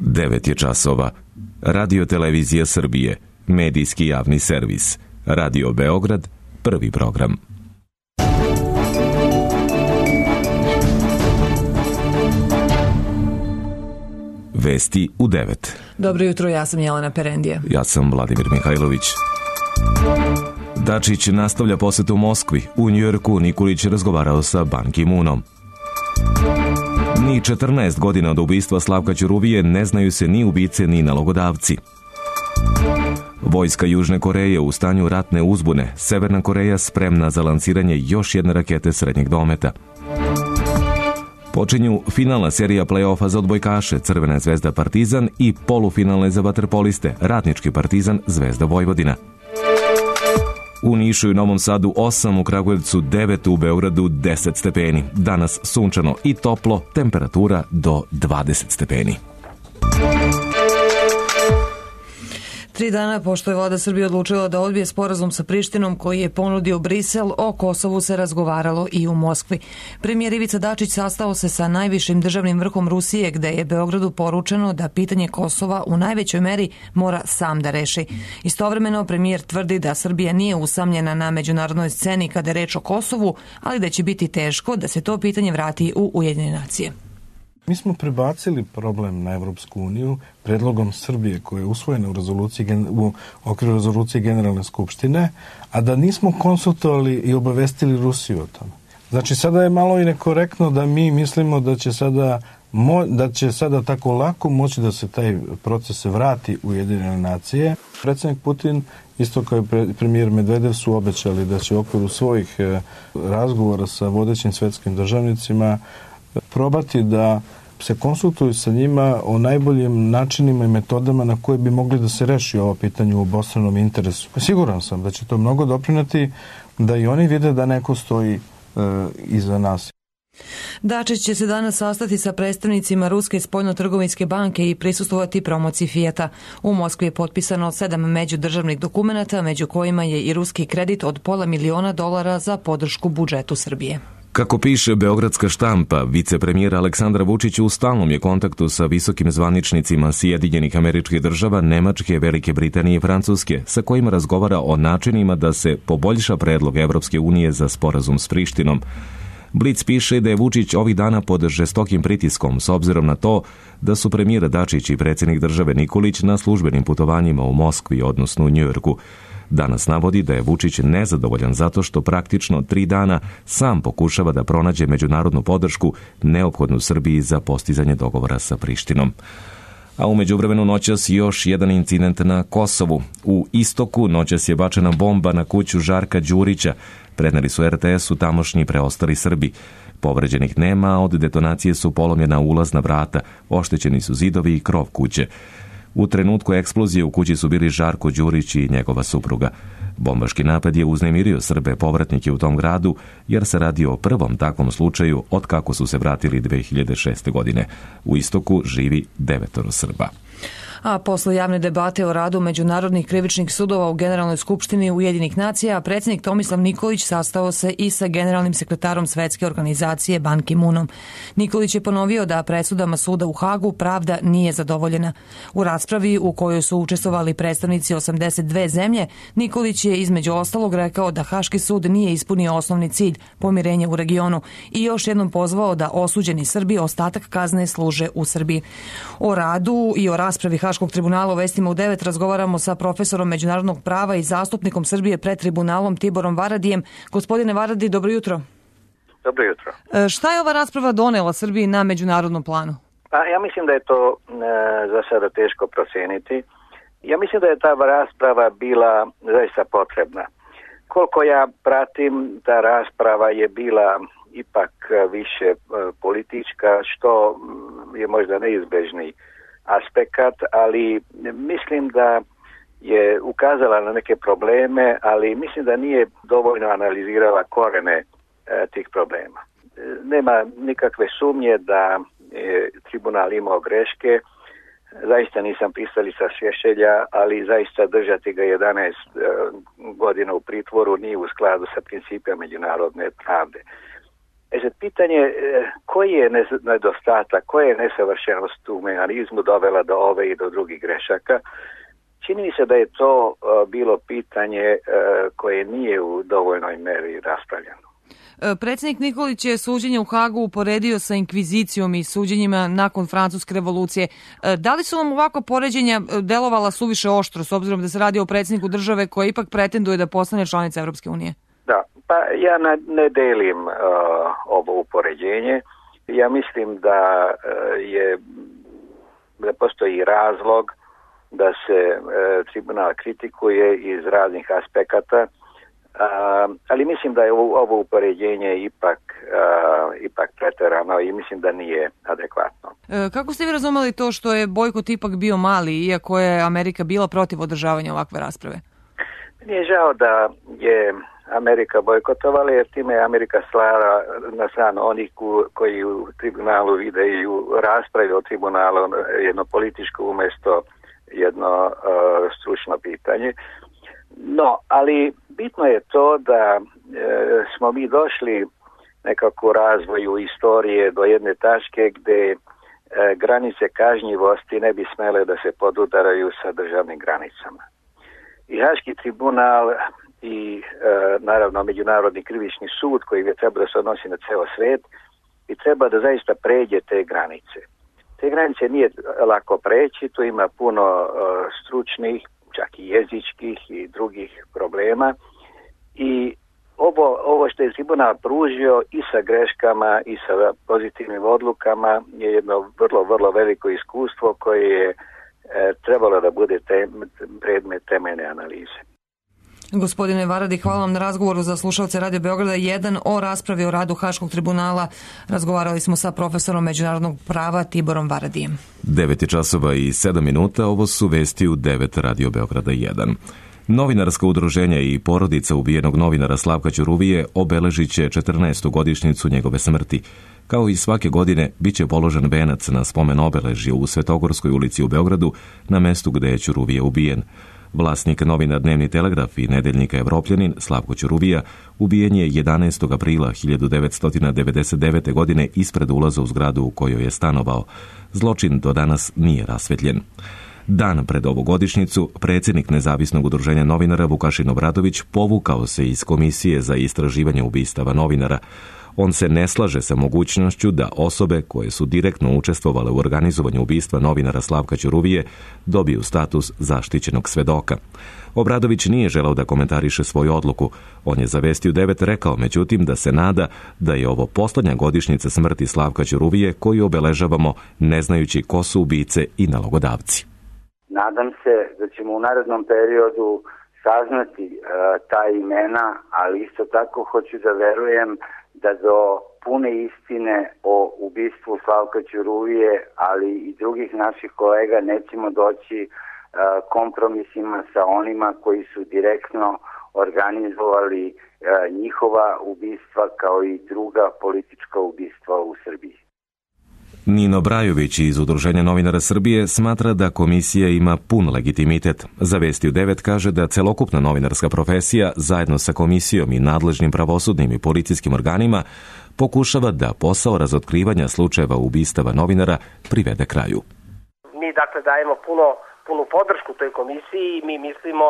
9 je časova. Radio Televizija Srbije, medijski javni servis. Radio Beograd, prvi program. Vesti u 9. Dobro jutro, ja sam Jelena Perendija. Ja sam Vladimir Mihajlović. Dačić nastavlja posetu Moskvi. U Njujorku Nikolić razgovarao sa Ban Ki-moonom. Ni 14 godina od ubistva Slavka Ćuruvije ne znaju se ni ubice ni nalogodavci. Vojska Južne Koreje u stanju ratne uzbune. Severna Koreja spremna za lansiranje još jedne rakete srednjeg dometa. Počinju finalna serija play-offa za odbojkaše Crvena zvezda Partizan i polufinalne za vaterpoliste Radnički Partizan Zvezda Vojvodina. U Nišu i Novom Sadu 8, u Kragujevcu 9, u Beogradu 10 stepeni. Danas sunčano i toplo, temperatura do 20 stepeni. 3 dana pošto je vlada Srbije odlučila da odbije sporazum sa Prištinom koji je ponudio Brisel, o Kosovu se razgovaralo i u Moskvi. Premijer Ivica Dačić sastao se sa najvišim državnim vrhom Rusije, gde je Beogradu poručeno da pitanje Kosova u najvećoj meri mora sam da reši. Istovremeno premijer tvrdi da Srbija nije usamljena na međunarodnoj sceni kada je reč o Kosovu, ali da će biti teško da se to pitanje vrati u Ujedinjene nacije. Mi smo prebacili problem na Evropsku uniju predlogom Srbije koja je usvojena u okviru rezolucije Generalne skupštine, a da nismo konsultovali i obavestili Rusiju o tome. Znači sada je malo i nekorektno da mi mislimo da će sada tako lako moći da se taj proces vrati u Ujedinjene nacije. Predsjednik Putin, isto kao i premijer Medvedev, su obećali da će u okviru svojih razgovora sa vodećim svetskim državnicima probati da se konsultuju sa njima o najboljim načinima i metodama na koje bi mogli da se reši ovo pitanje u obostranom interesu. Siguran sam da će to mnogo doprineti da i oni vide da neko stoji iza nas. Dačić će se danas sastati sa predstavnicima Ruske spoljno-trgovinske banke i prisustvovati promociji Fijata. U Moskvi je potpisano 7 međudržavnih dokumenata, među kojima je i ruski kredit od $500 miliona za podršku budžetu Srbije. Kako piše beogradska štampa, vicepremijera Aleksandra Vučić u stalnom je kontaktu sa visokim zvaničnicima Sjedinjenih Američkih Država, Nemačke, Velike Britanije i Francuske, sa kojima razgovara o načinima da se poboljša predlog Evropske unije za sporazum s Prištinom. Blic piše da je Vučić ovih dana pod žestokim pritiskom s obzirom na to da su premijer Dačić i predsjednik države Nikolić na službenim putovanjima u Moskvi, odnosno u Njujorku. Danas navodi da je Vučić nezadovoljan zato što praktično 3 dana sam pokušava da pronađe međunarodnu podršku neophodnu Srbiji za postizanje dogovora sa Prištinom. A u međuvremenu noćas još jedan incident na Kosovu. U Istoku noćas je bačena bomba na kuću Žarka Đurića. Preneli su RTS-u tamošnji preostali Srbi. Povređenih nema, a od detonacije su polomljena ulazna vrata, oštećeni su zidovi i krov kuće. U trenutku eksplozije u kući su bili Žarko Đurić i njegova supruga. Bombaški napad je uznemirio Srbe povratnike u tom gradu, jer se radi o prvom takvom slučaju od kako su se vratili 2006. godine. U Istoku živi 9 Srba. A posle javne debate o radu međunarodnih krivičnih sudova u Generalnoj skupštini Ujedinjenih nacija, predsjednik Tomislav Nikolić sastao se i sa generalnim sekretarom Svetske organizacije Ban Ki-moonom. Nikolić je ponovio da presudama suda u Hagu pravda nije zadovoljena. U raspravi u kojoj su učestvovali predstavnici 82 zemlje, Nikolić je između ostalog rekao da Haški sud nije ispunio osnovni cilj, pomirenje u regionu, i još jednom pozvao da osuđeni Srbi ostatak kazne služe u Srbiji. O radu i o raspravi Haškog tribunala u vestima u 9 razgovaramo sa profesorom međunarodnog prava i zastupnikom Srbije pred tribunalom Tiborom Varadijem. Gospodine Varadi, dobro jutro. Dobro jutro. Šta je ova rasprava donela Srbiji na međunarodnom planu? Pa ja mislim da je to za sada teško proceniti. Ja mislim da je ta rasprava bila zaista potrebna. Koliko ja pratim, ta rasprava je bila ipak više politička, što je možda neizbežni aspekt, ali mislim da je ukazala na neke probleme, ali mislim da nije dovoljno analizirala korene tih problema. Nema nikakve sumnje da je tribunal imao greške. Zaista nisam pristalica Šešelja, ali zaista držati ga 11 godina u pritvoru nije u skladu sa principima međunarodne pravde. Sad pitanje koji je nedostatak, koja je nesavršenost u mehanizmu dovela do ove i do drugih grešaka. Čini mi se da je to bilo pitanje koje nije u dovoljnoj meri raspravljeno. Predsjednik Nikolić je suđenje u Hagu uporedio sa inkvizicijom i suđenjima nakon Francuske revolucije. Da li su vam ovako poređenja delovala suviše oštro, s obzirom da se radi o predsjedniku države koja ipak pretenduje da postane članica Evropske unije? Da, pa ja ne delim ovo upoređenje. Ja mislim da postoji razlog da se tribunal kritikuje iz raznih aspekata, ali mislim da je ovo upoređenje ipak preterano i mislim da nije adekvatno. Kako ste vi razumeli to što je bojkot ipak bio mali, iako je Amerika bila protiv održavanja ovakve rasprave? Meni je žao da je Amerika bojkotovala, jer time je Amerika slala na stranu onih koji u tribunalu vide i u raspravi o tribunalu jedno političko umjesto jedno stručno pitanje. No, ali bitno je to da smo mi došli nekako u razvoju istorije do jedne tačke gdje granice kažnjivosti ne bi smele da se podudaraju sa državnim granicama. I Haški tribunal i naravno Međunarodni krivični sud koji je treba da se odnosi na ceo svet i treba da zaista pređe te granice. Te granice nije lako preći, tu ima puno stručnih, čak i jezičkih i drugih problema i ovo što je tribunal pružio i sa greškama i sa pozitivnim odlukama je jedno vrlo, vrlo veliko iskustvo koje je trebalo da bude predmet temeljne analize. Gospodine Varadi, hvala vam na razgovoru za slušalce Radio Beograda 1 o raspravi o radu Haškog tribunala. Razgovarali smo sa profesorom međunarodnog prava Tiborom Varadijem. 9:07, ovo su vesti u 9 Radio Beograda 1. Novinarska udruženja i porodica ubijenog novinara Slavka Ćuruvije obeležit će 14. godišnjicu njegove smrti. Kao i svake godine, bit će položen venac na spomen obeležje u Svetogorskoj ulici u Beogradu, na mestu gde je Ćuruvije ubijen. Vlasnik novina Dnevni telegraf i nedeljnika Evropljanin Slavko Ćuruvija ubijen je 11. aprila 1999. godine ispred ulaza u zgradu u kojoj je stanovao. Zločin do danas nije rasvetljen. Dan pred ovu godišnjicu, predsjednik Nezavisnog udruženja novinara Vukašin Obradović povukao se iz Komisije za istraživanje ubistava novinara. On se ne slaže sa mogućnošću da osobe koje su direktno učestvovale u organizovanju ubistva novinara Slavka Ćuruvije dobiju status zaštićenog svedoka. Obradović nije želeo da komentariše svoju odluku. On je za Vesti u 9 rekao, međutim, da se nada da je ovo posljednja godišnjica smrti Slavka Ćuruvije koju obeležavamo ne znajući ko su ubice i nalogodavci. Nadam se da ćemo u narednom periodu saznati ta imena, ali isto tako hoću da verujem da do pune istine o ubistvu Slavka Ćuruvije, ali i drugih naših kolega nećemo doći kompromisima sa onima koji su direktno organizovali njihova ubistva kao i druga politička ubistva u Srbiji. Nino Brajović iz Udruženja novinara Srbije smatra da komisija ima pun legitimitet. Za Vesti u 9 kaže da celokupna novinarska profesija zajedno sa komisijom i nadležnim pravosudnim i policijskim organima pokušava da posao razotkrivanja slučajeva ubistava novinara privede kraju. Mi dakle dajemo punu podršku toj komisiji i mi mislimo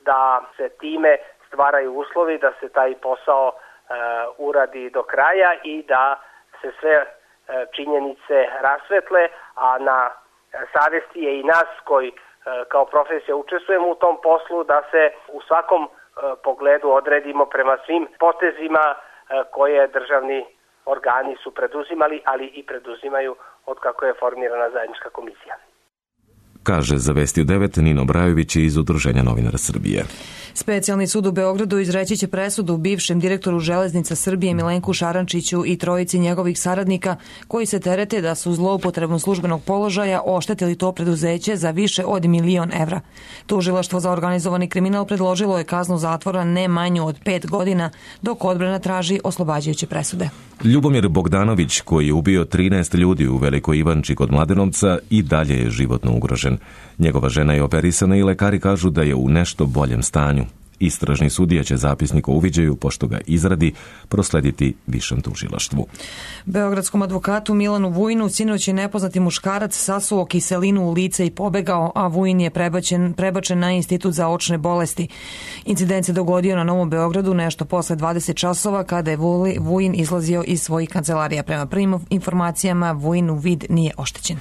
da se time stvaraju uslovi da se taj posao uradi do kraja i da se sve činjenice rasvetle, a na savjesti je i nas koji kao profesija učestvujemo u tom poslu da se u svakom pogledu odredimo prema svim potezima koje državni organi su preduzimali, ali i preduzimaju od kako je formirana zajednička komisija. Kaže za Vesti u 9 Nino Brajović iz Udruženja novinara Srbije. Specijalni sud u Beogradu izreći će presudu bivšem direktoru Železnica Srbije Milenku Šarančiću i trojici njegovih saradnika koji se terete da su zloupotrebom službenog položaja oštetili to preduzeće za više od 1.000.000 evra. Tužilaštvo za organizovani kriminal predložilo je kaznu zatvora ne manju od 5 godina, dok odbrana traži oslobađajuće presude. Ljubomir Bogdanović, koji je ubio 13 ljudi u Velikoj Ivanči kod Mladenovca, i dalje je životno ugrožen. Njegova žena je operisana i lekari kažu da je u nešto boljem stanju. Istražni sudija će zapisnik o uviđaju, pošto ga izradi, proslediti višem tužilaštvu. Beogradskom advokatu Milanu Vujinu sinoć je nepoznati muškarac sasuo kiselinu u lice i pobegao, a Vujin je prebačen na Institut za očne bolesti. Incident se dogodio na Novom Beogradu nešto posle 20 časova kada je Vujin izlazio iz svojih kancelarija. Prema prvim informacijama Vujinu vid nije oštećen.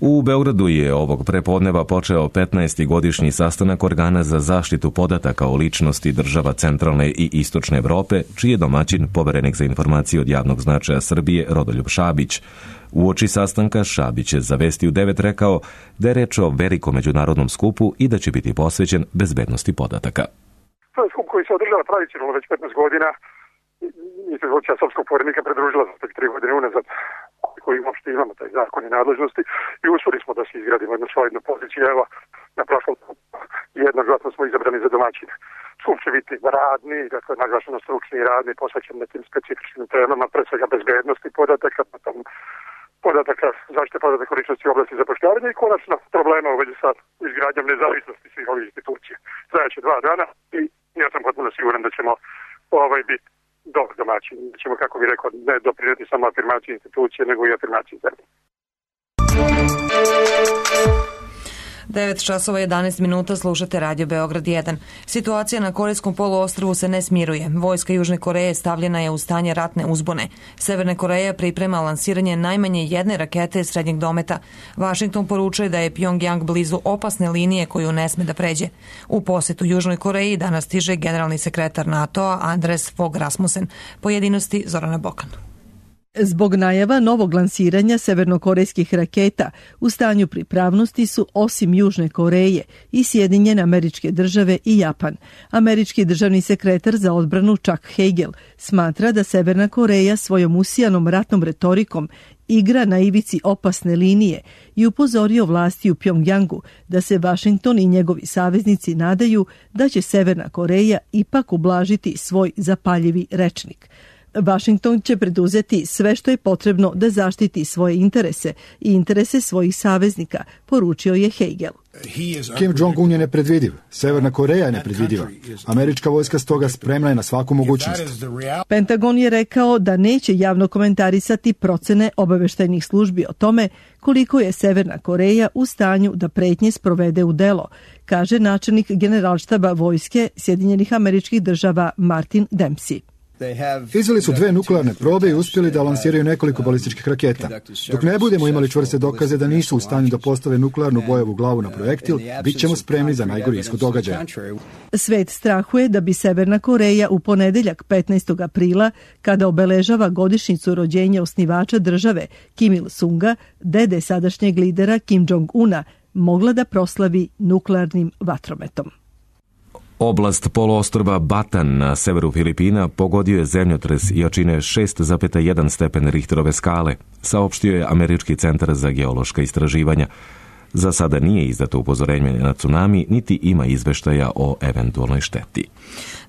U Beogradu je ovog prepodneva počeo 15. godišnji sastanak organa za zaštitu podataka o ličnosti država centralne i istočne Evrope, čiji je domaćin poverenik za informacije od javnog značaja Srbije Rodoljub Šabić. Uoči sastanka Šabić je za Vesti u 9 rekao da je reč o velikom međunarodnom skupu i da će biti posvećen bezbednosti podataka. To je skup koji se održava tradicionalno već 15 godina. Institucija srpskog poverenika pridružila za 3 godine unazad, koji uopšte imamo taj zakon i nadležnosti, i uspeli smo da se izgradimo jednu solidnu poziciju. Evo, na prošlom jednoglasno smo izabrani za domaćine. Skup će biti radni, dakle naglašeno stručni i radni, posvećen nekim specifičnim temama, pre svega bezbednosti podataka, potom podataka, zaštite podataka o ličnosti u oblasti zapošljavanja i konačno problema u vezi sa izgradnjom nezavisnosti svih ovih institucija. Trajaće 2 dana i ja sam potpuno siguran da ćemo biti dobar domaćin. Da ćemo, kako bih rekao, ne doprinijeti samo afirmaciji institucije, nego i afirmaciji zemlje. 9 časova 11 minuta, slušate Radio Beograd 1. Situacija na Korejskom poluostrvu se ne smiruje. Vojska Južne Koreje stavljena je u stanje ratne uzbune. Severna Koreja priprema lansiranje najmanje jedne rakete srednjeg dometa. Vašington poručuje da je Pjongjang blizu opasne linije koju ne sme da pređe. U posetu Južnoj Koreji danas stiže generalni sekretar NATO-a Anders Fogh Rasmussen. Pojedinosti Zorana Bokan. Zbog najava novog lansiranja severnokorejskih raketa u stanju pripravnosti su osim Južne Koreje i Sjedinjene Američke Države i Japan. Američki državni sekretar za odbranu Chuck Hagel smatra da Severna Koreja svojom usijanom ratnom retorikom igra na ivici opasne linije i upozorio vlasti u Pjongjangu da se Vašington i njegovi saveznici nadaju da će Severna Koreja ipak ublažiti svoj zapaljivi rečnik. Vašington će preduzeti sve što je potrebno da zaštiti svoje interese i interese svojih saveznika, poručio je Hagel. Kim Jong-un je nepredvidiv, Severna Koreja je nepredvidiva. Američka vojska stoga spremna je na svaku mogućnost. Pentagon je rekao da neće javno komentarisati procene obaveštajnih službi o tome koliko je Severna Koreja u stanju da pretnje sprovede u delo, kaže načelnik Generalštaba vojske Sjedinjenih Američkih Država Martin Dempsey. Izveli su 2 nuklearne probe i uspjeli da lansiraju nekoliko balističkih raketa. Dok ne budemo imali čvrste dokaze da nisu u stanju da postave nuklearnu bojevu glavu na projektil, bit ćemo spremni za najgori ishod događaja. Svet strahuje da bi Severna Koreja u ponedeljak 15. aprila, kada obeležava godišnjicu rođenja osnivača države Kim Il-sunga, dede sadašnjeg lidera Kim Jong-una, mogla da proslavi nuklearnim vatrometom. Oblast poluostrva Batan na severu Filipina pogodio je zemljotres jačine 6,1 stepen Richterove skale, saopštio je Američki centar za geološka istraživanja. Za sada nije izdato upozorenje na tsunami, niti ima izveštaja o eventualnoj šteti.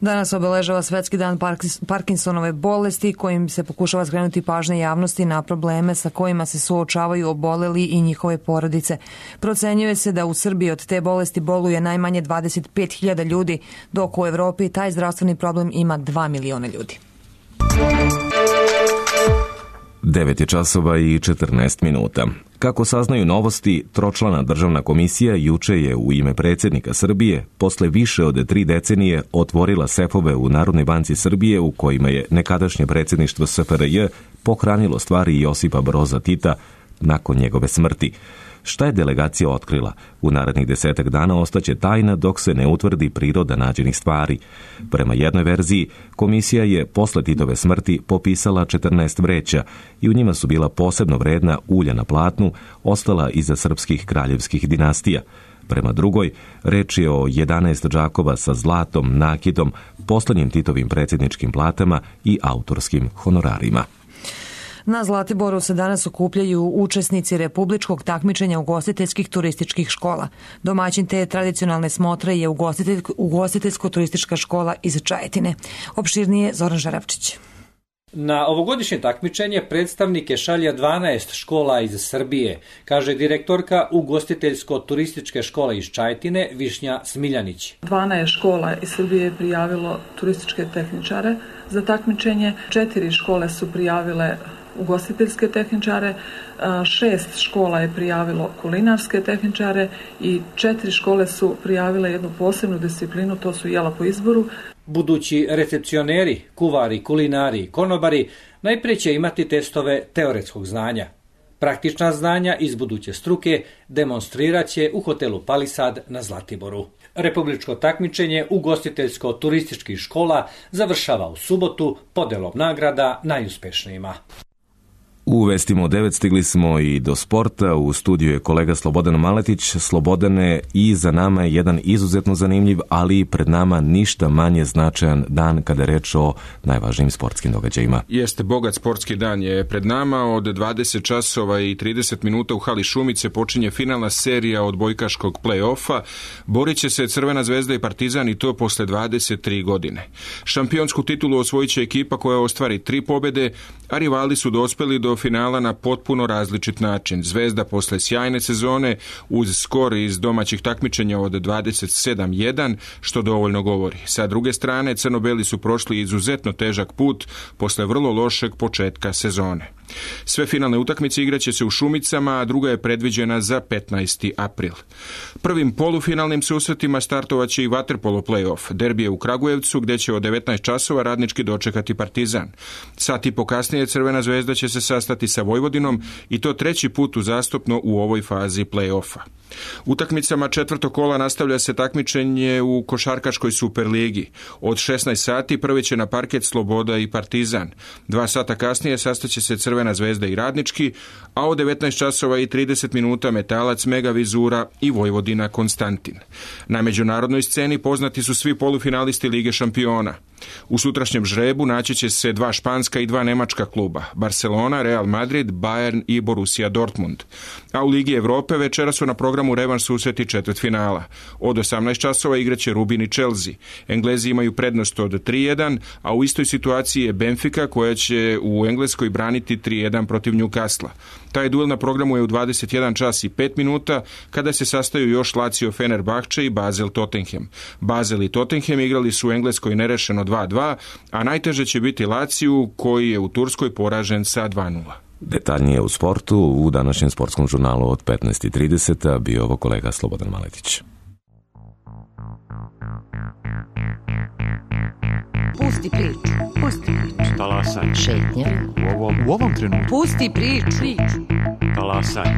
Danas obeležava Svetski dan Parkinsonove bolesti, kojim se pokušava skrenuti pažnja javnosti na probleme sa kojima se suočavaju oboleli i njihove porodice. Procenjuje se da u Srbiji od te bolesti boluje najmanje 25.000 ljudi, dok u Evropi taj zdravstveni problem ima 2 miliona ljudi. 9 časova i 14 minuta. Kako saznaju novosti, tročlana državna komisija juče je u ime predsjednika Srbije posle više od 3 decenije otvorila sefove u Narodnoj banci Srbije u kojima je nekadašnje predsjedništvo SFRJ pohranilo stvari Josipa Broza Tita nakon njegove smrti. Šta je delegacija otkrila? U narednih 10 dana ostaće tajna dok se ne utvrdi priroda nađenih stvari. Prema jednoj verziji, komisija je posle Titove smrti popisala 14 vreća i u njima su bila posebno vredna ulja na platnu, ostala iza srpskih kraljevskih dinastija. Prema drugoj, reč je o 11 džakova sa zlatom, nakitom, poslednjim Titovim predsjedničkim platama i autorskim honorarima. Na Zlatiboru se danas okupljaju učesnici republičkog takmičenja ugostiteljskih turističkih škola. Domaćin te tradicionalne smotre je ugostiteljsko-turistička škola iz Čajetine. Opširnije Zoran Žarevčić. Na ovogodišnje takmičenje predstavnike šalje 12 škola iz Srbije, kaže direktorka ugostiteljsko-turističke škole iz Čajetine Višnja Smiljanić. 12 škola iz Srbije je prijavilo turističke tehničare za takmičenje, 4 škole su prijavile ugostiteljske tehničare, 6 škola je prijavilo kulinarske tehničare i 4 škole su prijavile jednu posebnu disciplinu, to su jela po izboru. Budući recepcioneri, kuvari, kulinari i konobari najprije će imati testove teoretskog znanja. Praktična znanja iz buduće struke demonstrirat će u hotelu Palisad na Zlatiboru. Republičko takmičenje ugostiteljsko-turističkih škola završava u subotu podelom nagrada najuspešnijima. U vestima u 9 stigli smo i do sporta. U studiju je kolega Slobodan Maletić. Slobodane, i za nama je jedan izuzetno zanimljiv, ali pred nama ništa manje značajan dan kada je reč o najvažnijim sportskim događajima. Jeste, bogat sportski dan je pred nama. Od 20 časova i 30 minuta u hali Šumice počinje finalna serija odbojkaškog play-offa. Borit će se Crvena zvezda i Partizan, i to posle 23 godine. Šampionsku titulu osvojit će ekipa koja ostvari 3 pobjede, a rivali su dospeli do finala na potpuno različit način. Zvezda posle sjajne sezone uz skor iz domaćih takmičenja od 27-1, što dovoljno govori. Sa druge strane, crno-beli su prošli izuzetno težak put posle vrlo lošeg početka sezone. Sve finalne utakmice igraće se u Šumicama, a druga je predviđena za 15. april. Prvim polufinalnim susretima startovaće i vaterpolo play-off. Derbi je u Kragujevcu, gdje će od 19 časova Radnički dočekati Partizan. Sat i po kasnije Crvena zvezda će se sastati sa Vojvodinom, i to 3. put uzastopno u ovoj fazi play-offa. Utakmicama 4. kola nastavlja se takmičenje u košarkaškoj Superligi. Od 16 sati prvi će na parket Sloboda i Partizan. 2 sata kasnije sastaće se Crvena zvezda i Radnički, a od 19 časova i 30 minuta Metalac, Mega Vizura i Vojvodina Konstantin. Na međunarodnoj sceni poznati su svi polufinalisti Lige šampiona. U sutrašnjem žrebu naći će se 2 španska i 2 nemačka kluba, Barcelona, Real Madrid, Bayern i Borussia Dortmund. A u Ligi Evrope večera su na programu revanš susreti četvrtfinala. Od 18 časova igraće Rubin i Chelsea. Englezi imaju prednost od 3-1, a u istoj situaciji je Benfica, koja će u Engleskoj braniti 3-1 protiv Newcastle. Taj duel na programu je u 21 čas i 5 minuta, kada se sastaju još Lazio Fenerbahče i Basel Tottenham. Basel i Tottenham igrali su u Engleskoj nerešeno 2-2, a najteže će biti Laziju, koji je u Turskoj poražen sa 2-0. Detaljnije u sportu u današnjem sportskom žurnalu od 15:30 bio ovo kolega Slobodan Maletić. Pusti priču. Pusti priču. Talasaj. Šetnja. U ovom trenutku. Pusti priču. Talasaj.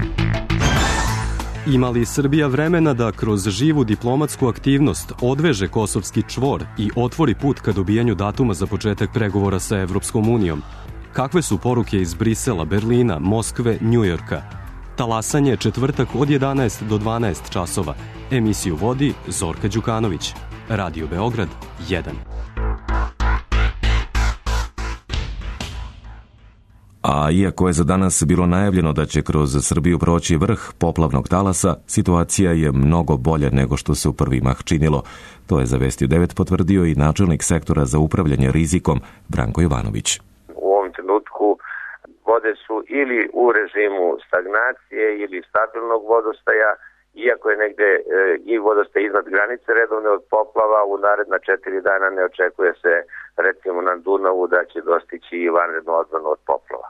Ima li Srbija vremena da kroz živu diplomatsku aktivnost odveže kosovski čvor i otvori put ka dobijanju datuma za početak pregovora sa Evropskom unijom? Kakve su poruke iz Brisela, Berlina, Moskve, Njujorka? Talasanje četvrtak od 11 do 12 časova. Emisiju vodi Zorka Đukanović. Radio Beograd 1. A iako je za danas bilo najavljeno da će kroz Srbiju proći vrh poplavnog talasa, situacija je mnogo bolja nego što se u prvi mah činilo. To je za Vesti u 9 potvrdio i načelnik sektora za upravljanje rizikom Branko Jovanović. U ovom trenutku vode su ili u režimu stagnacije ili stabilnog vodostaja, iako je negde i vodostaj iznad granice redovne od poplava, u naredna 4 dana ne očekuje se, recimo na Dunavu, da će dostići i vanrednu odbranu od poplava.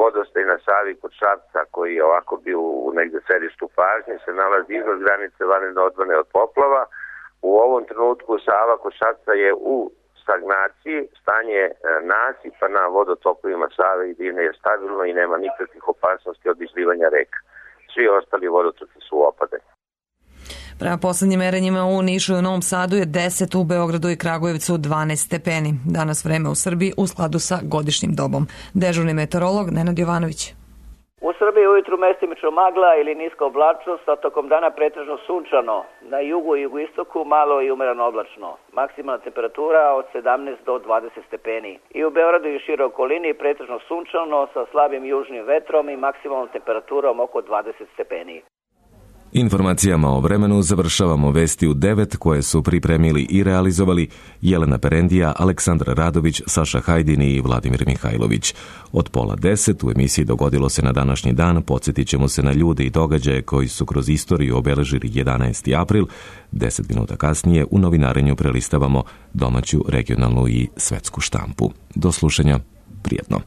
Vodostaj na Savi kod Šapca, koji je ovako bio u negde središtu pažnje, se nalazi iznad granice vanredne odbrane od poplava. U ovom trenutku Sava kod Šapca je u stagnaciji, stanje nasipa na vodotokovima Save i Drine je stabilno i nema nikakvih opasnosti od izlivanja reka. Svi ostali vodotoci su u opadanju. Prema poslednjim merenjima u Nišu i u Novom Sadu je 10, u Beogradu i Kragujevcu 12 stepeni. Danas vreme u Srbiji u skladu sa godišnjim dobom. Dežurni meteorolog Nenad Jovanović. U Srbiji ujutru mestimično magla ili niska oblačnost, a tokom dana pretežno sunčano. Na jugu i jugoistoku malo i umereno oblačno. Maksimalna temperatura od 17 do 20 stepeni. I u Beogradu i široj okolini pretežno sunčano sa slabim južnim vetrom i maksimalnom temperaturom oko 20 stepeni. Informacijama o vremenu završavamo vesti u 9 koje su pripremili i realizovali Jelena Perendija, Aleksandar Radović, Saša Hajdini i Vladimir Mihajlović. Od 9:30 u emisiji Dogodilo se na današnji dan podsjetit ćemo se na ljude i događaje koji su kroz istoriju obeležili 11. april. 10 minuta kasnije u novinarenju prelistavamo domaću, regionalnu i svetsku štampu. Do slušanja, prijetno.